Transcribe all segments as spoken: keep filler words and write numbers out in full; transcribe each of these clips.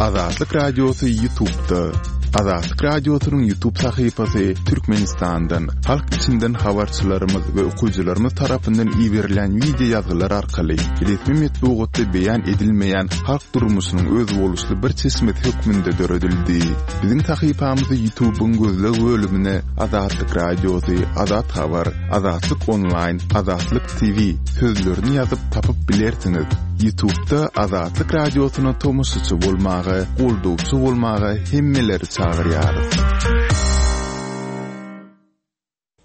Azatlyk Radiosy YouTube'da. Azatlyk Radiosynyň YouTube sahypasy Türkmenistandan, halk içinden habarçylarymyz we okyjylarymyz tarapyndan iberilen wideo ýazgylar arkaly resmi metbugatda beýan edilmeýän halk durmuşynyň özboluşly bir çeşmesi hökmünde döredildi. Biziň sahypamyzy YouTube'yň gözleg bölümine Azatlyk Radiosy, Azat Habar, Azatlyk Online, Azatlyk T V sözlerini ýazyp tapyp bilersiňiz. YouTube'da Azatlyk Radiosyna tomaşaçy bolmaga, goldawçy bolmaga hemmeleri çagyrýarys.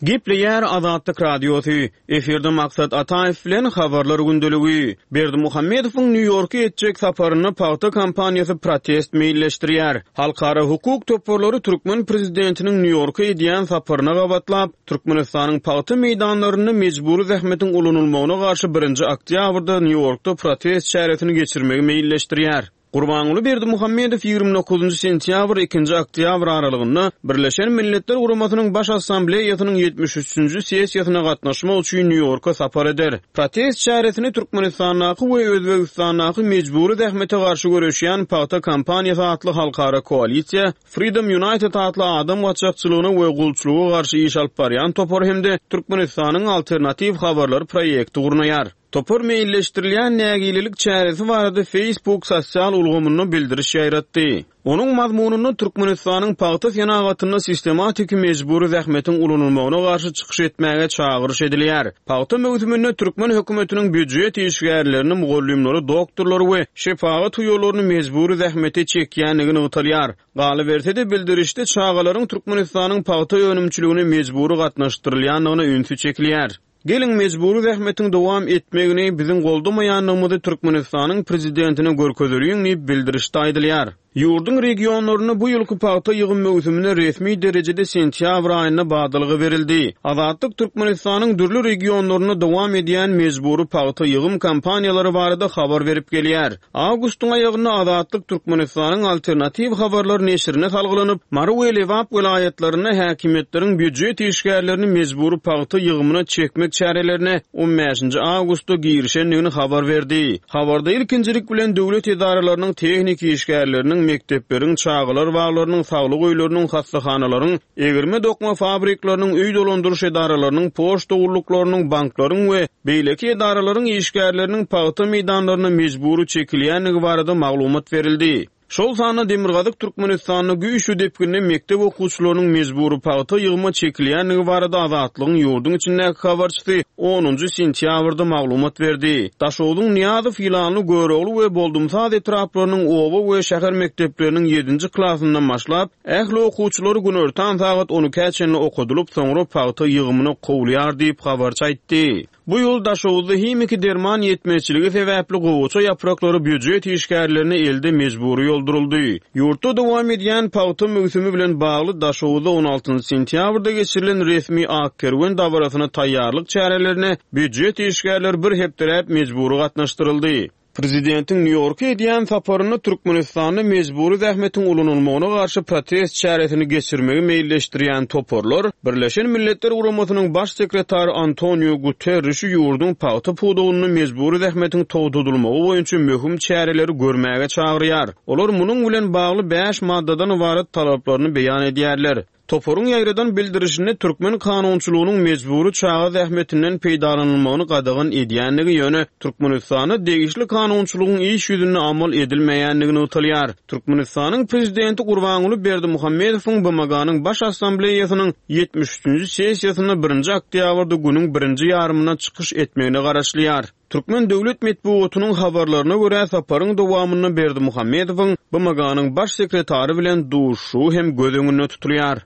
Gepleýär Azatlyk Radiosy. Efirde Maksat Ataýew bilen habarlar gündeligi. Berdimuhamedowyň Nýu-Ýorka etjek saparynda pagta kampaniýasy protest meýilleşdirýär. Halkara hukuk toparlary türkmen prezidentiniň Nýu-Ýorka edýän saparyna gabatlap, Türkmenistanyň pagta meýdanlarynda mejbury zähmetiň ulanylmagyna garşy birinji oktýabrda Nýu-Ýorkda protest çäresini geçirmegi meýilleşdirýär. Gurbanguly Berdimuhamedow ýigrimi dokuzynjy sentýabr ikinji oktýabr aralygynda Birleşen Milletler Guramasynyň Baş Assambleýasynyň ýetmiş üçünji sessiýasyna gatnaşmak üçin Nýu-Ýorka sapar eder. Protest çäresini Türkmenistandaky we Özbegistandaky mejbury zähmete garşy göreşýän Pagta kampaniýasy atly halkara koalisiýa, Freedom United atly adam gaçakçylygyna we gulçulyga garşy iş alyp barýan topar hem-de Türkmenistanyň alternatiw habarlar proýekti gurnaýar. Topar meýilleşdirilýän nägilelik çäresi barada Facebook sosial ulgamynda bildiriş ýaýratdy. Onuň mazmunynda Türkmenistanyň pagta senagatynda sistematik mejbury zähmetiň ulanylmagyna garşy çykyş etmäge çagyryş edilýär. Pagta möwsüminde türkmen hökümetiniň býujet işgärlerini, mugallymlary, doktorlary we şepagat uýalaryny mejbury zähmete çekýändigi nygtalýar. Galyberse-de, bildirişde çagalaryň Türkmenistanyň pagta önümçiligine mejbury gatnaşdyrylýandygyna ünsi çekilýär. Geliň mejbury zähmetiň dowam etmegini biziň goldamaýandygymyzy Türkmenistanyň prezidentine görkezeliň diýip bildirişde aýdylýar. Ýurduň regionlarynda bu ýylky pagta ýygym möwsümine resmi derejede sentýabr aýynda badalga berildi. Azatlyk Türkmenistanyň dürli regionlarynda dowam edýän mejbury pagta ýygym kampaniýalary barada habar berip gelýär. Awgustyň aýagynda Azatlyk Türkmenistanyň alternatiw habarlar neşirine salgylanyp, Mary we Lebap welaýatlarynda häkimiýetleriň býujet işgärlerini mejbury pagta ýygymyna çekmek çärelerine on bäşinji awgustda girişendigini habar berdi. Habarda ilkinjilik bilen döwlet edaralarynyň tehniki işgärleriniň, mekdepleriň, çagalar baglarynyň, saglyk öýleriniň, hassahanalaryň, egirme dokma fabrikleriniň, öý dolandyryş edaralarynyň, poçta gulluklarynyň, banklaryň we beýleki edaralaryň işgärleriniň pagta meýdanlaryna mejbury çekilýändigi barada maglumat berildi. Şol sanda Demirgazyk Türkmenistanda güýçli depginde mekdep okuwçylarynyň mejbury pagta ýygyma çekilýändigi barada Azatlygyň ýurduň içindäki habarçysy onunjy sentýabrda maglumat berdi. Daşogzuň Nyýazow, Ýylanly, Görogly we Boldumsaz etraplarynyň oba we şäher mekdepleriniň ýedinji klasyndan başlap, ähli okuwçylary günortan sagat on ikä çenli okadylyp, soňra pagta ýygymyna kowulýar diýip habarçy aýtdy. Bu ýyl Daşoguzda himiki derman ýetmezçiligi sebäpli gowaça ýapraklary býujet işgärlerine elde mejbury ýolduryldy. Ýurtda dowam edýän pagta möwsümi bilen bagly Daşoguzda on altynjy sentýabrda geçirilen resmi Ak kerwen dabarasyna taýýarlyk çärelerine býujet işgärleri bir hepdeläp mejbury gatnaşdyryldy. Prezidentiň Nýu-Ýorka edýän saparynda Türkmenistanda mejbury zähmetiň ulanylmagyna garşy protest çäresini geçirmegi meýilleşdirýän toparlar Birleşen Milletler Guramasynyň baş sekretary Antonio Guterrişi ýurduň pagta pudagynda mejbury zähmetiň togtadylmagy boýunça möhüm çäreleri görmäge çagyrýar. Olar munuň bilen bagly bäş maddadan ybarat talaplaryny beýan edýärler. Toparyň ýaýradan bildirişinde türkmen kanunçylygynyň mejbury çaga zähmetinden peýdalanylmagyny gadagan edýändigi, ýöne Türkmenistanda degişli kanunçylygyň iş ýüzünde amal edilmeýändigi nygtalýar. Türkmenistanyň prezidenti Gurbanguly Berdimuhamedowyň B M G-nyň Baş Assambleýasynyň ýetmiş üçünji sessiýasynda birinji oktýabrda günüň birinji ýarymynda çykyş etmegine garaşylýar. Türkmen döwlet metbugatynyň habarlaryna görä saparyň dowamynda Berdimuhamedowyň B M G-nyň baş sekretary bilen duşuşygy hem göz öňünde tutulýar.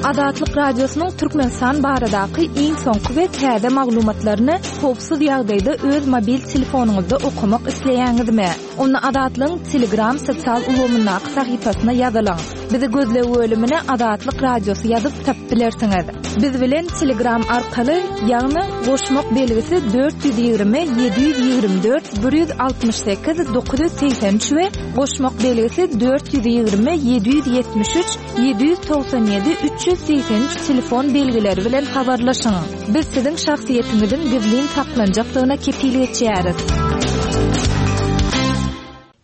Azatlyk Radiosynyň Türkmenistan baradaky iň soňky we täze maglumatlaryny howpsuz ýagdaýda öz mobil telefonyňyzda okamak isleýäňizmi? Onda Azatlygyň Telegram sosial ulgamyndaky sahypasyna ýazylyň. Bizi gözleg bölümine Azatlyk Radiosy ýazyp tapyp bilersiňiz. Biz bilen Telegram arkaly, ýagny goşmak belgisi dört ýüz ýigrimi, ýedi ýüz ýigrimi dört, bir ýüz altmyş sekiz, dokuz ýüz segsen üç we goşmak belgisi dört ýüz ýigrimi, ýedi ýüz ýetmiş üç, ýedi ýüz togsan ýedi, üç ýüz segsen üç telefon belgileri bilen habarlaşyň. Biz siziň şahsyýetiňiziň gizlin saklanjakdygyna kepil geçýäris.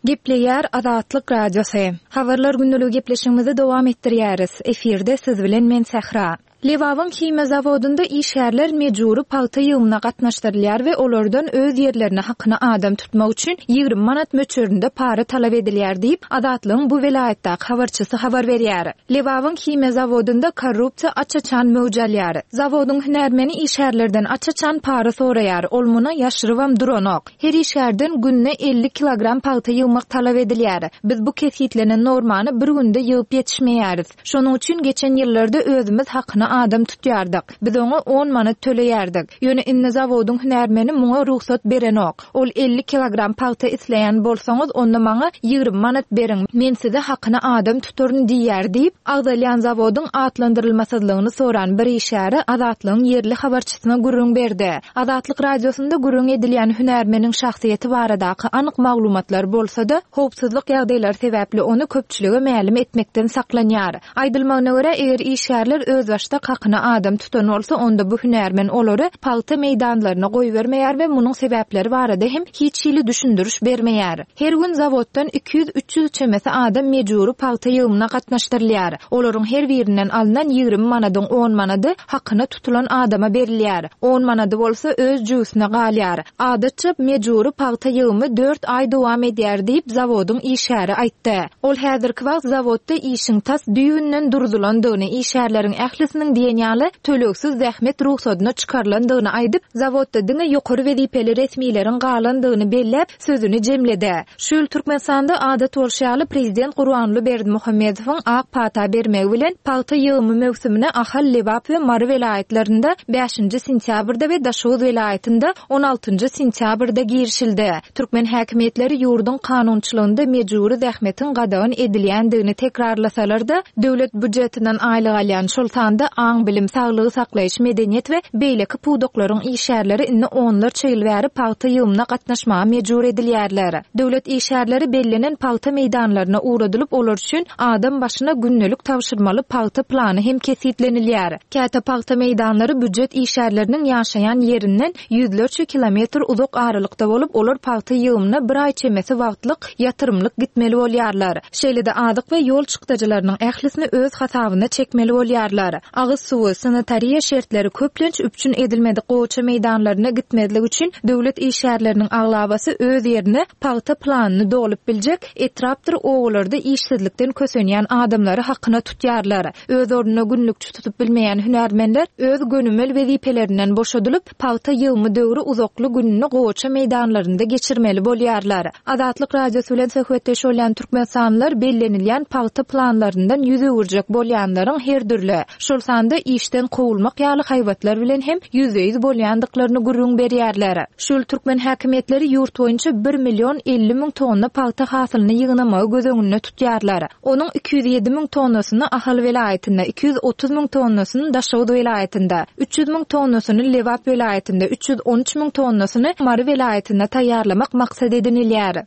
Gepleýär Azatlyk Radiosy. Habarlar gündeligi gepleşigimizi dowam etdirýäris. Efirde siz bilen men Sähra. Lebabyň himiýa zawodynda işgärler mejbury pagta ýygymyna gatnaşdyrylýar we olardan öz ýerlerine hakyna adam tutmak üçin ýigrimi manat möçberinde para talap edilýär diýip, Azatlygyň bu welaýatdaky habarçysy habar berýär. Lebabyň himiýa zawodynda korrupsiýa aç-açan möwç alýar. Zawodyň hünärmeni işgärlerden aç-açan para soraýar, ol muny ýaşyrybam duranok. Her işgärden günde elli kilogram pagta ýygmak talap edilýär. Biz bu kesgitlenen normany bir günde ýygyp ýetişmeýäris. Şonuň üçin geçen ýyllarda özümiz hakyna adam tutýardyk. Biz oňa on manat töleýärdik. Ýöne indi zawodyň hünärmeni muňa rugsat berenok. Ol elli kilogram pagta isleýän bolsaňyz, onda maňa ýigrimi manat beriň, men size hakyna adam tutaryn diýýär diýip, agzalýan zawodyň atlandyrylmasyzlygyny soran bir işgäri Azatlygyň ýerli habarçysyna gürrüň berdi. Azatlyk Radiosynda gürrüň edilýän hünärmeniň şahsyýeti baradaky anyk maglumatlar bolsa-da, howpsuzlyk ýagdaýlary sebäpli ony köpçülige mälim etmekden saklanýar. Aýdylmagyna görä, eger işgärler özbaşdak hakyna adam tutan bolsa, onda bu hünärmen olary pagta meýdanlaryna goýbermeýär we munuň sebäpleri barada hem hiç hili düşündiriş bermeýär. Her gün zawoddan iki ýüz-üç ýüz çemesi adam mejbury pagta ýygymyna gatnaşdyrylýar. Olaryň her birinden alnan ýigrimi manadyň on manady hakyna tutulan adama berilýär. On manady bolsa öz jübüsine galýar. Adatça mejbury pagta ýygymy dört aý dowam edýär diýip, zawodyň işgäri aýtdy. Ol häzirki wagt zawodda işiň tas düýbünden durzulandygyny, işgärleriň ählisiniň diýen ýaly tölegsiz zähmet rugsadyna çykarylandygyny aýdyp, zawodda diňe ýokary wezipeli resmileriň galandygyny belläp, sözüni jemledi. Şu ýyl Türkmenistanda adat bolşy ýaly prezident Gurbanguly Berdimuhamedowyň ak pata bermegi bilen pagta ýygymy möwsümine Ahal, Lebap we Mary welaýatlarynda bäşinji sentýabrda we Daşoguz welaýatynda on altynjy sentýabrda girişildi. Türkmen häkimiýetleri ýurduň kanunçylygynda mejbury zähmetiň gadagan edilýändigini tekrarlasalar-da, döwlet býujetinden aýlyk alýan, şol sanda aň-bilim, saglygy saklaýyş, medeniýet we beýleki pudaklaryň işgärleri indi onlarça ýyl bäri pagta ýygymyna gatnaşmaga mejbur edilýärler. Döwlet işgärleri bellenen pagta meýdanlaryna ugradylyp, olar üçin adam başyna gündelik tabşyrmaly pagta plany hem kesgitlenilýär. Käte pagta meýdanlary býujet işgärleriniň ýaşaýan ýerinden ýüzlerçe kilometr uzak aralykda bolup, olar pagta ýygymyna bir aý çemesi wagtlyk ýatyrymlyk gitmeli bolýarlar. Şeýle-de azyk we ýol çykdajylarynyň ählisini öz hasabyna çekmeli bolýarlar. Agyz suwy, sanitariýa şertleri köplenç üpjün edilmedik gowaça meýdanlaryna gitmezlik üçin döwlet işgärleriniň aglabasy öz ýerine pagta planyny dolup biljek etrapdyr obalarda işsizlikden kösenýän adamlary hakyna tutýarlar. Öz ornuna günlükçi tutup bilmeýän hünärmenler öz gönümel wezipelerinden boşadylyp, pagta ýygymy döwri uzakly gününi gowaça meýdanlarynda geçirmeli bolýarlar. Azatlyk Radiosy bilen söhbetdeş bolýan türkmenistanlylar bellenilýän pagta planlaryndan ýüz öwürjek bolýanlaryň her dürli, şol sanda işden kowulmak ýaly haýbatlar bilen hem ýüzbe-ýüz bolýandyklaryny gürrüň berýärler. Şu ýyl türkmen häkimiýetleri ýurt boýunça bir million elli müň tonna pagta hasylyny ýygnamagy göz öňünde tutýarlar. Onuň iki ýüz ýedi müň tonnasyny Ahal welaýatynda, iki ýüz otuz müň tonnasyny Daşoguz welaýatynda, üç ýüz müň tonnasyny Lebap welaýatynda, üç ýüz on üç müň tonnasyny Mary welaýatynda taýýarlamak maksat edinilýär.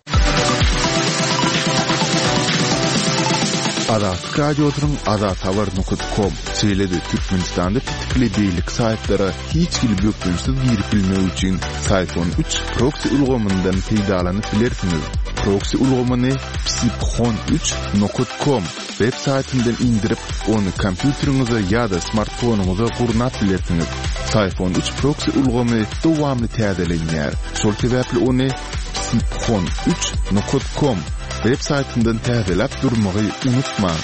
Azatlyk Radiosynyň azathabar nokta com, şeýle-de Türkmenistanda petikli beýleki saýtlara hiç hili bökdençsiz girip bilmek üçin Syfon üç proksi ulgamyndan peýdalanyp bilersiňiz. Proksi ulgamyny psiphon üç nokta com web saýtyndan indirip, ony kompýuteriňize ýa-da smartfonyňyza gurnap bilersiňiz. Syfon üç proksi ulgamy dowamly täzelenýär. Şol sebäpli ony psiphon üç nokta com web saýtyndan täzeläp durmagy unutmaň.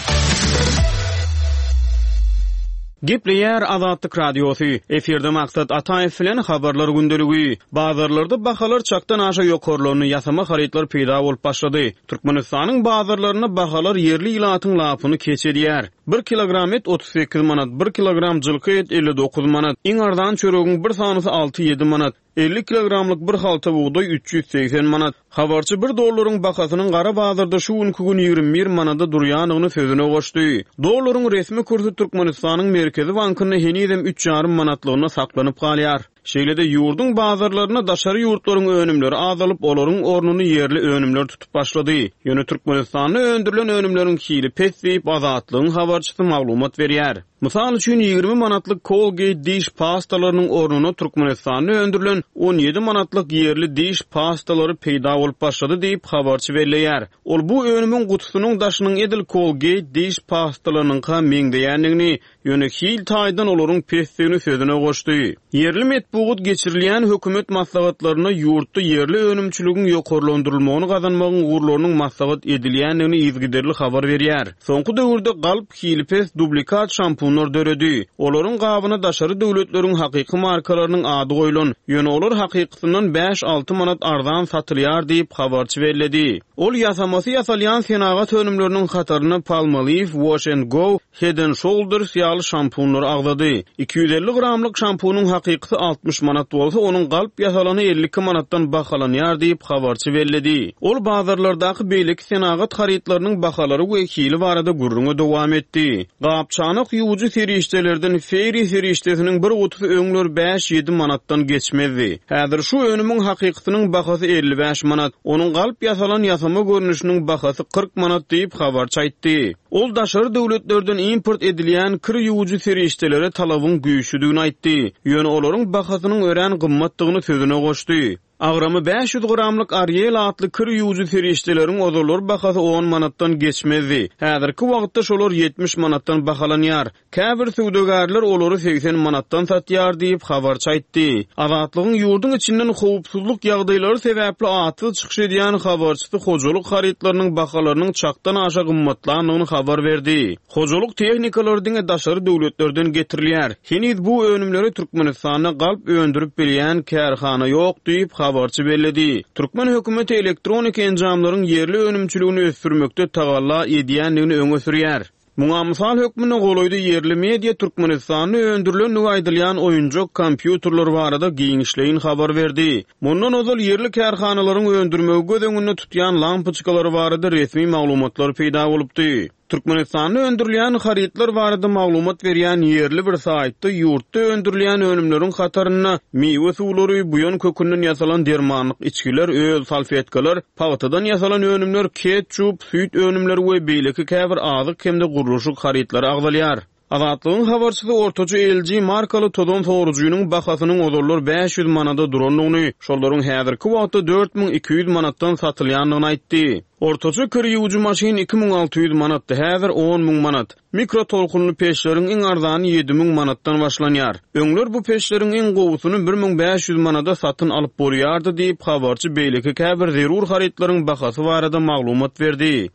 Gepleýär Azatlyk Radiosy. Efirde Maksat Ataýew bilen habarlar gündeligi. Bazarlarda bahalar çakdan aşa ýokarlandy, ýasama harytlar peýda bolup başlady. Türkmenistanyň bazarlarynda bahalar ýerli ilatyň lapyny keç edýär. Bir kilogram et otuz sekiz manat, bir kilogram jylky et elli dokuz manat, iň arzan çöregiň bir sanysy alty ýedi manat, elli kilogramlyk bir halta bugdaý üç ýüz segsen manat. Habarçy bir dollaryň bahasynyň gara bazarda şu günki gün ýigrimi bir manada durýandygyny sözüne goşdy. Dollaryň resmi kursy Türkmenistanyň Merkezi bankynda henizem üç ýarym manatlygyna saklanyp galýar. Şeýle-de ýurduň bazarlarynda daşary ýurtlaryň önümleri azalyp, olaryň ornuny ýerli önümler tutup başlady. Ýöne Türkmenistanda öndürilen önümleriň hili pes diýip, Azatlygyň habarçysy maglumat berýär. Mysal üçin, ýigrimi manatlyk Colgate diş pastalarynyň ornuna Türkmenistanda öndürilen on ýedi manatlyk ýerli diş pastalary peýda bolup başlady diýip, habarçy belleýär. Ol bu önümiň gutusynyň daşynyň edil Colgate diş pastalarynyňka meňzeýändigini, ýöne hil taýdan olaryň pesdigini sözüne goşdy. Ýerli metbugat geçirilýän hökümet maslahatlarynda ýurtda ýerli önümçiligiň ýokarlandyrylmagyny gazanmagyň ugurlarynyň maslahat edilýändigini yzygiderli habar berýär. Soňky döwürde galp, hili pes dublikat şampunlar döredi. Olaryň gabyna daşary döwletleriň hakyky markalarynyň ady goýlan, ýöne olar hakykysyndan bäş-alty manat arzan satylýar diýip, habarçy belledi. Ol ýasamasy ýasalýan senagat önümleriniň hatarynda Palmolive, Wash and Go, Head and Shoulders ýaly şampunlary agzady. Iki ýüz elli gramlyk şampunyň hakykysy altmyş manat bolsa, onuň galp ýasalany elli iki manatdan bahalanýar diýip, habarçy belledi. Ol bazarlardaky beýleki senagat harytlarynyň bahalary we hili barada gürrüňe dowam etdi. Gap-çanak ýuwujy serişdelerden Fairy serişdesiniň bir gutusy öňler bäş-ýedi manatdan geçmezdi. Häzir şu önümiň hakykysynyň bahasy elli bäş manat, onuň galp ýasalan ýasama görnüşiniň bahasy kyrk manat diýip, habarçy aýtdy. Ol daşary döwletlerden import edilýän kir ýuwujy serişdelere talabyň güýçlüdigini aýtdy. Ýöne olaryň bahasynyň örän gymmatdygyny sözüne goşdy. Agramy bäş ýüz gramlyk Ariel atly kir ýuwujy serişdeleriň ozallar bahasy on manatdan geçmezdi. Häzirki wagtda şolar ýetmiş manatdan bahalanýar. Käbir söwdagärler olary segsen manatdan satýar diýip, habarçy aýtdy. Azatlygyň ýurduň içinden howpsuzlyk ýagdaýlary sebäpli atsyz çykyş edýän habarçysy hojalyk harytlarynyň bahalarynyň çakdan aşa gymmatlandygyny habar berdi. Hojalyk tehnikalary diňe daşary döwletlerden getirilýär. Heniz bu önümleri Türkmenistanda galp öndürip bilýän kärhana ýok diýip, habarçy belledi. Türkmen hökümeti elektronik enjamlaryň ýerli önümçiligini ösdürmekde tagalla edýändigini öňe sürýär. Muňa mysal hökmünde golaýda ýerli media Türkmenistanda öndürilendigi aýdylýan oýunjak kompýuterler barada giňişleýin habar berdi. Mundan ozal ýerli kärhanalaryň öndürmegi göz öňünde tutýan lampoçkalary barada resmi maglumatlar peýda bolupdy. Türkmenistanda öndürilýän harytlar barada maglumat berýän ýerli bir saýtda ýurtda öndürilýän önümleriň hatarynda miwe suwlary, buýan kökünden ýasalan dermanlyk içgiler, öl salfetkalar, pagtadan ýasalan önümler, ketçup, süýt önümleri we beýleki käbir azyk hem-de gurluşyk harytlary agzalýar. Azatlygyň habarçysy ortaça L G markaly tozan sorujynyň bahasynyň ozallar bäş ýüz manada durandygyny, şolaryň häzirki wagtda dört müň iki ýüz manatdan satylýandygyny aýtdy. Ortaça kir ýuwujy maşyn iki müň alty ýüz manatdy, häzir on müň manat. Mikrotolkunly peçleriň iň arzany ýedi müň manatdan başlanýar. Öňler bu peçleriň iň gowusyny bir müň bäş ýüz manada satyn alyp bolýardy diýip, habarçy beýleki käbir zerur harytlaryň bahasy barada maglumat berdi.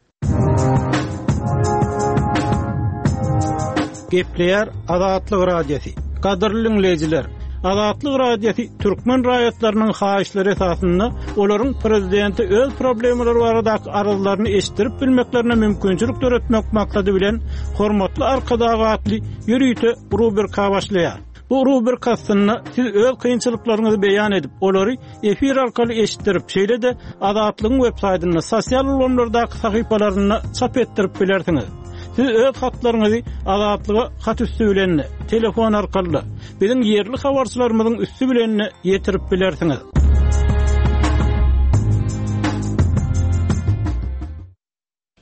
Gepleýär Azatlyk Radiosy. Gadyrly dinleýjiler, Azatlyk Radiosy türkmen raýatlarynyň haýyşlary esasynda olaryň prezidenti öz problemalary baradaky arzlaryny eşitdirip bilmeklerine mümkinçilik döretmek maksady bilen Hormatly Arkadag atly ýörite rubrika başlaýar. Bu rubrika aslynda siz öz kynçylyklaryňyzy beýan edip, olary efir arkaly eşitdirip, şeýle-de Azatlygyň web saýtynda, sosial ulgamlardaky sahypalarynda çap etdirip bilersiňiz. Siz öz hatlaryňyzy Azatlyga hat üstü bilen, telefon arkaly, biziň ýerli habarçylarymyzyň üstü bilen ýetirip bilersiňiz.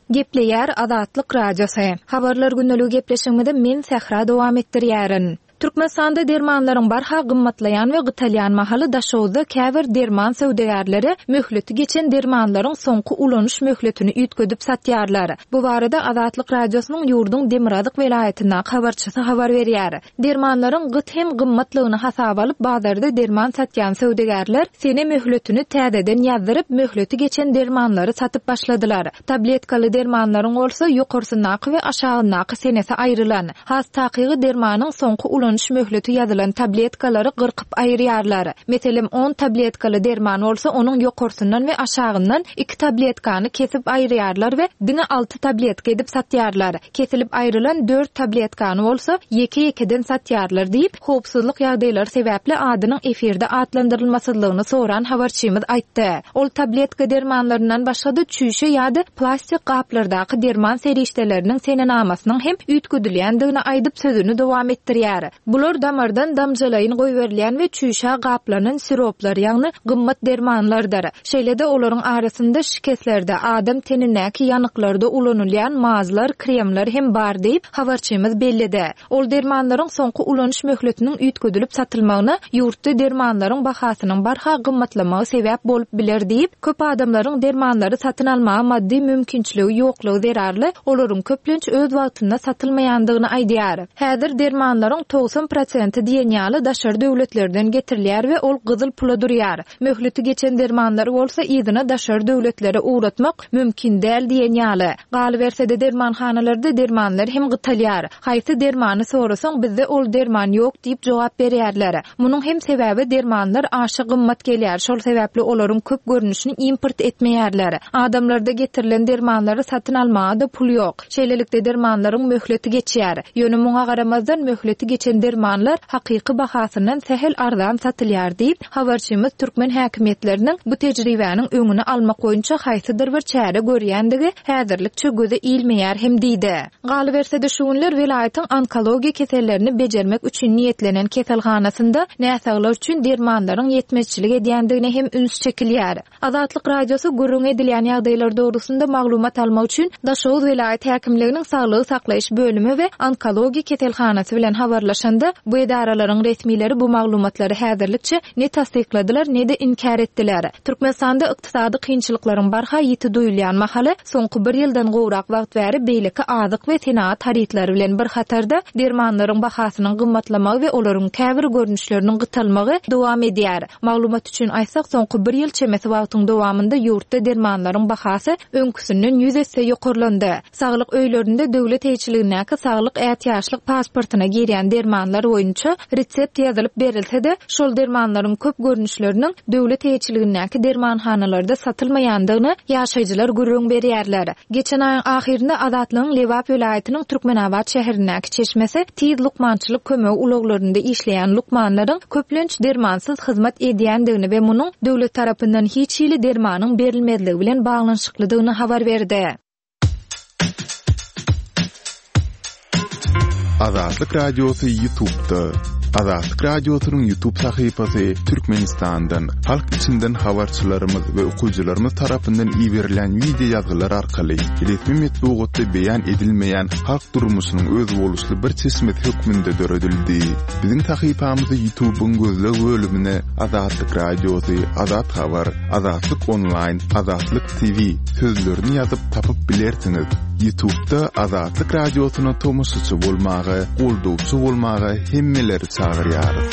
Gepleýär Azatlyk Radiosy. Habarlar gündeligi gepleşigimizi men Sähra dowam etdirýärin. Türkmenistanda dermanlaryň barha gymmatlaýan we gytalýan mahaly Daşoguzda käbir derman söwdagärleri möhleti geçen dermanlaryň soňky ulanyş möhletini üýtgedip satýarlar. Bu barada Azatlyk Radiosynyň ýurduň Demirgazyk welaýatyndaky habarçysy habar berýär. Dermanlaryň gyt hem gymmatlygyny hasaba alyp bazarda derman satýan söwdagärler sene möhletini täzeden ýazdyryp möhleti geçen dermanlary satyp başladylar. Tabletkaly dermanlaryň bolsa ýokarsyndaky we aşagyndaky senesi aýrylan. Has takygy dermanyň soňky ulanyş möhleti ýazylan tabletkalary gyrkyp aýyrýarlar. Meselem, on tabletkaly derman bolsa onuň ýokarsyndan we aşagyndan iki tabletkany kesip aýyrýarlar we diňe alty tabletka edip satýarlar. Kesilip aýrylan dört tabletkany bolsa ýeke-ýekeden satýarlar diýip, howpsuzlyk ýagdaýlary sebäpli adynyň efirde atlandyrylmasyzlygyny soran habarçymyz aýtdy. Ol tabletka dermanlaryndan başga-da çüýşe ýa-da plastik gaplardaky derman serişdeleriniň senenamasynyň hem üýtgedilýändigini aýdyp sözüni dowam etdirýär. Bular damardan damjalaýyn goýberilýän we çüýşä gaplanan siroplar, ýagny gymmat dermanlardyr. Şeýle-de olaryň arasynda şikeslerde, adam tenindäki ýanyklarda ulanylýan mazlar, kremler hem bar diýip, habarçymyz belledi. Ol dermanlaryň soňky ulanyş möhletiniň üýtgedilip satylmagyna ýurtda dermanlaryň bahasynyň barha gymmatlamagy sebäp bolup biler diýip, köp adamlaryň dermanlary satyn almaga maddy mümkinçiligi ýoklugy zerarly olaryň köplenç öz wagtynda satylmaýandygyny aýdýar. Häzir dermanlaryň togsan prosenti diýen ýaly daşary döwletlerden getirilýär we ol gyzyl pula durýar. Möhleti geçen dermanlary bolsa yzyna daşary döwletlere ugratmak mümkin däl diýen ýaly. Galyberse-de dermanhanalarda dermanlar hem gytalýar. Haýsy dermany sorasaň bizde ol derman ýok diýip jogap berýärler. Munuň hem sebäbi dermanlar aşa gymmat gelýär. Şol sebäpli olaryň köp görnüşini import etmeýärler. Adamlarda getirilen dermanlary satyn almaga da pul ýok. Şeýlelikde dermanlaryň möhleti geçýär. Ýöne muňa garamazdan möhleti geçen dermanlar hakyky bahasyndan sähel arzan satylýar diýip, habarçymyz türkmen häkimiýetleriniň bu tejribäniň öňüni almak boýunça haýsydyr bir çäre görýändigi häzirlikçe göze ilmeýär hem diýdi. Galyberse-de şu günler welaýatyň onkologiýa kesellerini bejermek üçin niýetlenen keselhanasynda näsaglar üçin dermanlaryň ýetmezçilik edýändigine hem üns çekilýär. Azatlyk Radiosy gürrüň edilýän ýagdaýlar dogrusynda maglumat almak üçin Daşoguz welaýat häkimliginiň saglygy saklaýyş bölümi we onkologiýa keselhanasy bilen habarlaşanda bu edaralaryň resmileri bu maglumatlary häzirlikçe ne tassykladylar ne-de inkär etdiler. Türkmenistanda ykdysady kynçylyklaryň barha ýiti duýulýan mahaly soňky bir ýyldan gowrak wagt bäri beýleki azyk we senagat harytlary bilen bir hatarda dermanlaryň bahasynyň gymmatlamagy we olaryň käbir görnüşleriniň gytalmagy dowam edýär. Maglumat üçin aýtsak, soňky bir ýyl çemesi wagtyň dowamynda ýurtda dermanlaryň bahasy öňküsinden ýüz esse ýokarlandy. Saglyk öýlerinde döwlet eýeçiligindäki saglyk ätiýaçlyk pasportyna girýän dermanlar boýunça resept ýazylyp berilse-de, şol dermanlaryň köp görnüşleriniň döwlet eýeçiligindäki dermanhanalarda satylmaýandygyny ýaşaýjylar gürrüň berýärler. Geçen aýyň ahyrynda Azatlygyň Lebap welaýatynyň Türkmenabat şäherindäki çeşmesi tiz lukmançylyk kömegi ulaglarynda işleýän lukmanlaryň köplenç dermansyz hyzmat edýändigini we munuň döwlet tarapyndan hiç hili dermanyň berilmezligi bilen baglanyşyklydygyny habar berdi. Azatlyk Radiosy YouTube'da. Azatlyk Radiosynyň YouTube sahypasy Türkmenistandan, halk içinden habarçylarymyz we okyjylarymyz tarapyndan iberilen video ýazgylar arkaly resmi metbugatda beýan edilmeýän halk durmuşynyň özboluşly bir çeşmesi hökmünde döredildi. Biziň sahypamyzy YouTube'yň gözleg bölümine Azatlyk Radiosy, Azat Habar, Azatlyk Online, Azatlyk T V sözlerini ýazyp tapyp bilersiňiz. YouTube'da Azatlyk Radiosyna tomaşaçy bolmaga, goldawçy bolmaga hemmeleri çagyrýarys.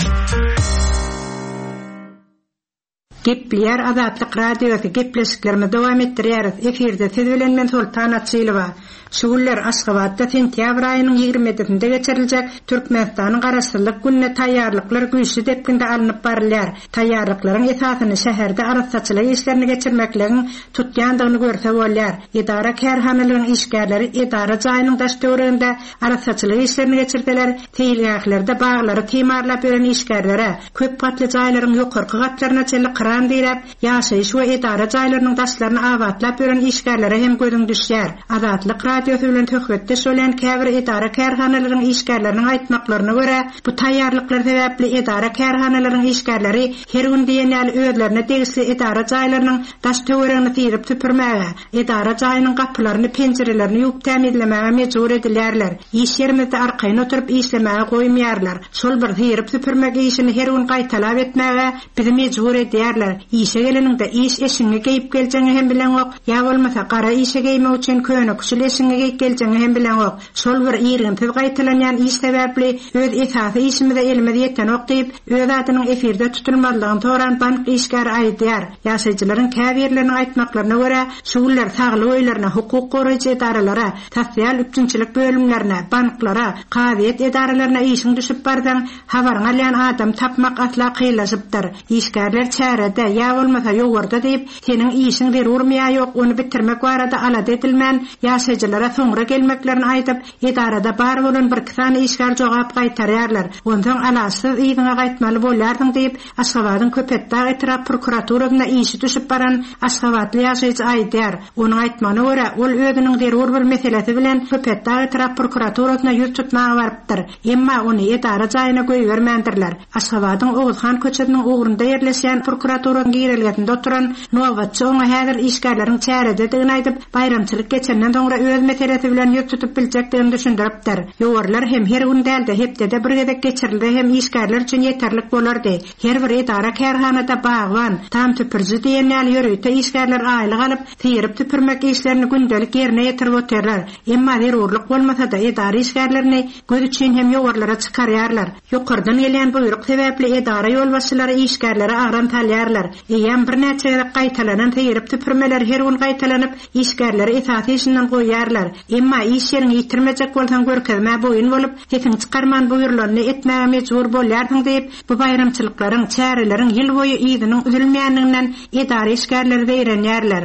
Gepleýär Azatlyk Radiosy gepleşiklerimizi dowam etdirýäris. Efirde siz bilen men Soltan Açylowa. Şu günler Aşgabatda sentýabr aýynyň ýigrimi ýedisinde geçiriljek Türkmenistanyň Garaşsyzlyk gününe taýýarlyklar güýçli depginde alnyp barylýar. Taýýarlyklaryň esasyny şäherde arassaçylyk işlerini geçirmekligiň tutýandygyny görse bolýar. Edara kärhanalaryň işgärleri edara jaýynyň daş töwereginde arassaçylyk işlerini geçirseler, seýilgählerde baglary timarlap ýören işgärlere, köp gatly jaýlaryň ýokarky gatlaryna çenli kran diräp, ýaşaýyş we edara jaýlarynyň daşlaryny abatlap ýören işgärlere hem gözüň düşýär. Azatlyk Radiosy bilen söhbetdeş bolan käbir edara kärhanalaryň işgärleriniň aýtmaklaryna görä, bu taýýarlyklar sebäpli edara kärhanalaryň işgärleri her gün diýen ýaly özlerine degişli edara jaýlarynyň daş töweregini syryp süpürmäge, edara jaýynyň gapylaryny, penjirelerini ýuwup tämizlemäge mejbur edilýärler. Iş ýerimizde arkaýyn oturyp işlemäge goýmaýarlar. Şol bir syryp süpürmek işini her gün gaýtalap etmäge bizi mejbur edýärler. Işe geleniňde iş eşiňi geýip geljeňi hem bileňok, ýa bolmasa gara işe geýmek üçin köne küçül eşiňi geýip geljeňi hem bileňok. Şol bir irginsiz gaýtalanýan iş sebäpli öz esasy işimize elimiz ýetenok diýip, öz adynyň efirde tutulmazlygyny soran bank işgäri aýdýar. Ýaşaýjylaryň käbirleriniň aýtmaklaryna görä, şu günler saglyk öýlerine, hukuk goraýjy edaralara, sosial üpjünçilik bölümlerine, banklara, kazyýet edaralaryna işiň düşüp barsaň, habaryň alýan adam tapmak asla kynlaşypdyr. Işgärler çärede çärede ýa bolmasa ýowarda diýip, seniň işiň zerurmy ýa ýok, ony bitirmek barada alada edilmän, ýaşaýjylara soňra gelmeklerini aýdyp, edarada bar bolan bir-iki sany işgär jogap gaýtarýarlar. Onsoň alaçsyz yzyňa gaýtmaly bolýarsyň diýip, Aşgabadyň Köpetdag etrap prokuraturasynda işi düşüp baran aşgabatly ýaşaýjy aýdýar. Onuň aýtmagyna görä, ol özüniň zerur bir meselesi bilen Köpetdag etrap prokuraturasyna ýüz tutmaga barypdyr. Emma ony edara jaýyna goýbermändirler. Aşgabadyň Oguzhan köçesiniň ugrunda ýerleşýän prokuraturanyň girelgesinde oturan nobatçy oňa häzir işgärleriň çärededigini aýdyp, baýramçylyk geçenden soňra öz meselesi bilen ýüz tutup biljekdigini düşündiripdir. Ýowarlar hem her gün däl-de hepdede bir gezek geçirilse hem işgärler üçin ýeterlik bolardy. Her bir edara kärhanada bagban, tam süpüriji diýen ýaly ýörite işgärler aýlyk alyp, syryp süpürmek işlerini gündelik ýerine ýetirip otyrlar. Emma zerurlyk bolmasa-da edara işgärlerini göz üçin hem ýowarlara çykarýarlar. Ýokardan gelýän buýruk sebäpli edara ýolbaşçylary işgärlere agram salýarlar. Eýýäm birnäçe gezek gaýtalanan syryp süpürmeler her gün gaýtalanyp, işgärleri esasy işinden goýýarlar. Emma iş ýeriňi ýitirmejek bolsaň görkezmä boýun bolup, sesiňi çykarman buýrulanyny etmäge mejbur bolýarsyň diýip, bu baýramçylyklaryň, çäreleriň ýyl boýy yzynyň üzülmeýändiginden edara işgärleri zeýrenýärler.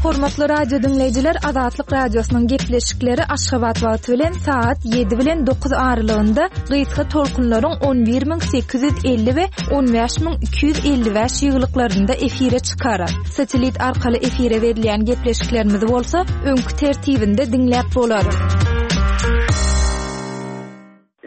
Hormatly radio diňleýjiler, Azatlyk radiosynyň gepleşikleri Aşgabat wagty bilen saat ýedi bilen dokuz aralygynda gysga tolkunlaryň on bir müň sekiz ýüz elli we on bäş müň iki ýüz elli bäş ýyglyklarynda efire çykar. Satelit arkaly efire berilýän gepleşiklerimizi bolsa öňki tertibinde diňläp bolar.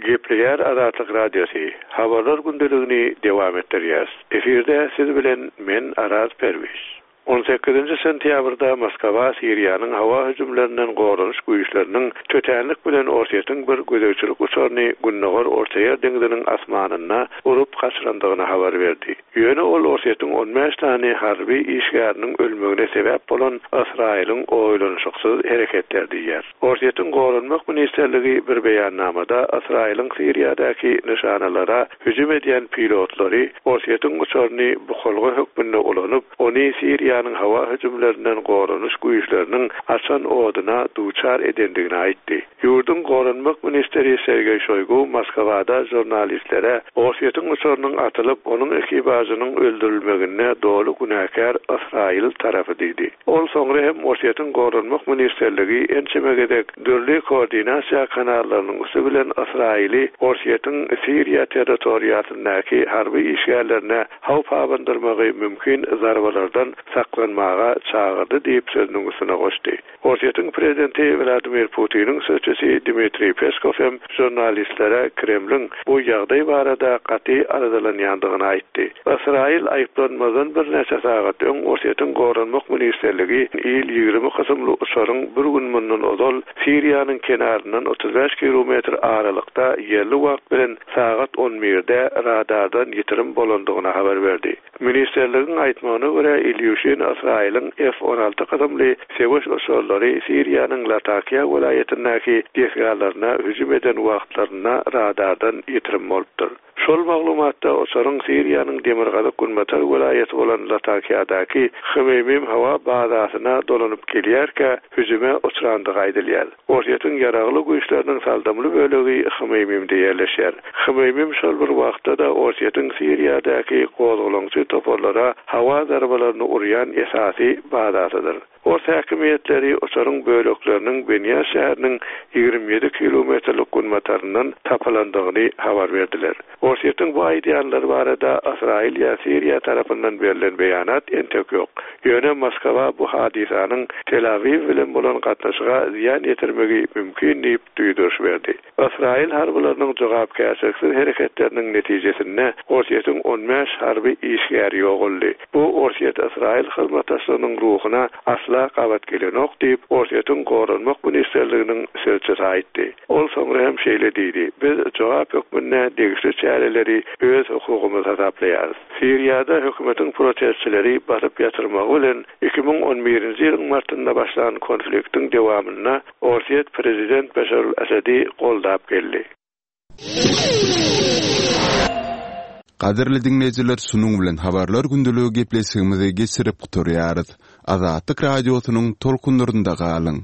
Gepleýär Azatlyk Radiosy. Habarlar gündeligini dowam etdirýär. Efirde siz bilen men Araz Perwiş. on sekizinji sentýabrda Moskwa Siriýanyň howa hüjümlerinden goranyş güýçleriniň tötänlik bilen Orsýetiň bir gözegçilik uçaryny Gündogar Ortaýer deňziniň asmanynda urup gaçyrandygyny habar berdi. Ýöne ol Orsýetiň on bäş tane harby işgäriniň ölmegine sebäp bolan Ysraýylyň oýlanyşyksyz hereketler diýýär. Orsýetiň Goranmak ministrligi bir beýannamada Ysraýylyň Siriýadaky nyşanalara hüjüm edýän pilotlary Orsýetiň uçaryny bukulga hökmünde ulanyp, ony Siriýanyň howa hüjümlerinden goranyş güýçleriniň açan oduna duçar edendigini aýtdy. Ýurduň Goranmak ministri Sergeý Şoýgu Moskwada žurnalistlere Orsýetiň uçarynyň atylyp, onuň ekipažynyň öldürilmeginde doly günäkär Ysraýyl tarapy diýdi. Ol soňra hem Orsýetiň Goranmak ministrligi ençeme gezek dürli koordinasiýa kanallarynyň üsti bilen Ysraýyly Orsýetiň Siriýa territoriýasyndaky harby işgärlerine howp abandyrmagy mümkin zarbalardan saklanmaga çagyrdy diýip sözüniň üstüne goşdy. Orsýetiň prezidenti Wladimir Putiniň sözçüsi Dmitriý Peskow hem žurnalistlere Kremliň bu ýagdaý barada gaty aladalanýandygyny aýtdy. Ysraýyl aýyplanmadan birnäçe sagat öň Orsýetiň Goranmak ministrligi il ýigrimi kysymly uçaryň bir gün mundan ozal Siriýanyň kenaryndan otuz bäş kilometr aralykda ýerli wagt bilen sagat on birde radardan ýitirim bolandygyny habar berdi. Ministrligiň aýtmagyna görä Ilýuşin Ysraýylyň F on alty kysymly söweş uçarlary Siriýanyň Latakiýa welaýatyndaky desgalaryna hüjüm eden wagtlarynda radardan ýitirim bolupdyr. Şol maglumatda uçaryň Siriýanyň demirgazyk günbatar welaýaty bolan Latakiýadaky Hmeýmim howa bazasyna dolanyp gelýärkä hüjüme uçrandygy aýdylýar. Orsýetiň ýaragly güýçleriniň saldamly bölegi Hmeýmimde ýerleşýär. Hmeýmim şol bir wagtda-da Orsýetiň Siriýadaky gozgalaňçy toparlara howa zarbalaryny urýan esasy bazasydyr. Ors häkimiýetleri uçaryň bölekleriniň Benýa şäheriniň ýigrimi ýedi kilometrlik günbataryndan tapylandygyny habar berdiler. Orsýetiň bu aýdýanlary barada Ysraýyl ýa Siriýa tarapyndan berlen beýanat entek ýok. Ýöne Moskwa bu hadysanyň Tel Awiw bilen bolan gatnaşyga zyýan ýetirmegi mümkin diýip duýduryş berdi. Ysraýyl harbylarynyň jogapkärçiliksiz hereketleriniň netijesinde Orsýetiň on bäş harby işgäri ýogaldy. Bu Orsýet-Ysraýyl hyzmatdaşlygynyň ruhuna asla gabat gelenok diýip Orsýetiň Goranmak ministrliginiň sözçüsi aýtdy. Ol soňra hem şeýle diýdi: Biz jogap hökmünde degişli çäreleri öz hukugymyz hasaplaýarys. Siriýada hökümetiň protestçileri basyp ýatyrmagy bilen iki müň on birinji ýylyň martynda başlan konfliktiň dowamynda Orsýet prezident Beşar al-Asadi goldap geldi. Gadyrly diňleýjiler, şunuň bilen habarlar gündeligi gepleşigimizi geçirip gutarýarys. Azatlyk radiosynyň tolkunlarynda galyň.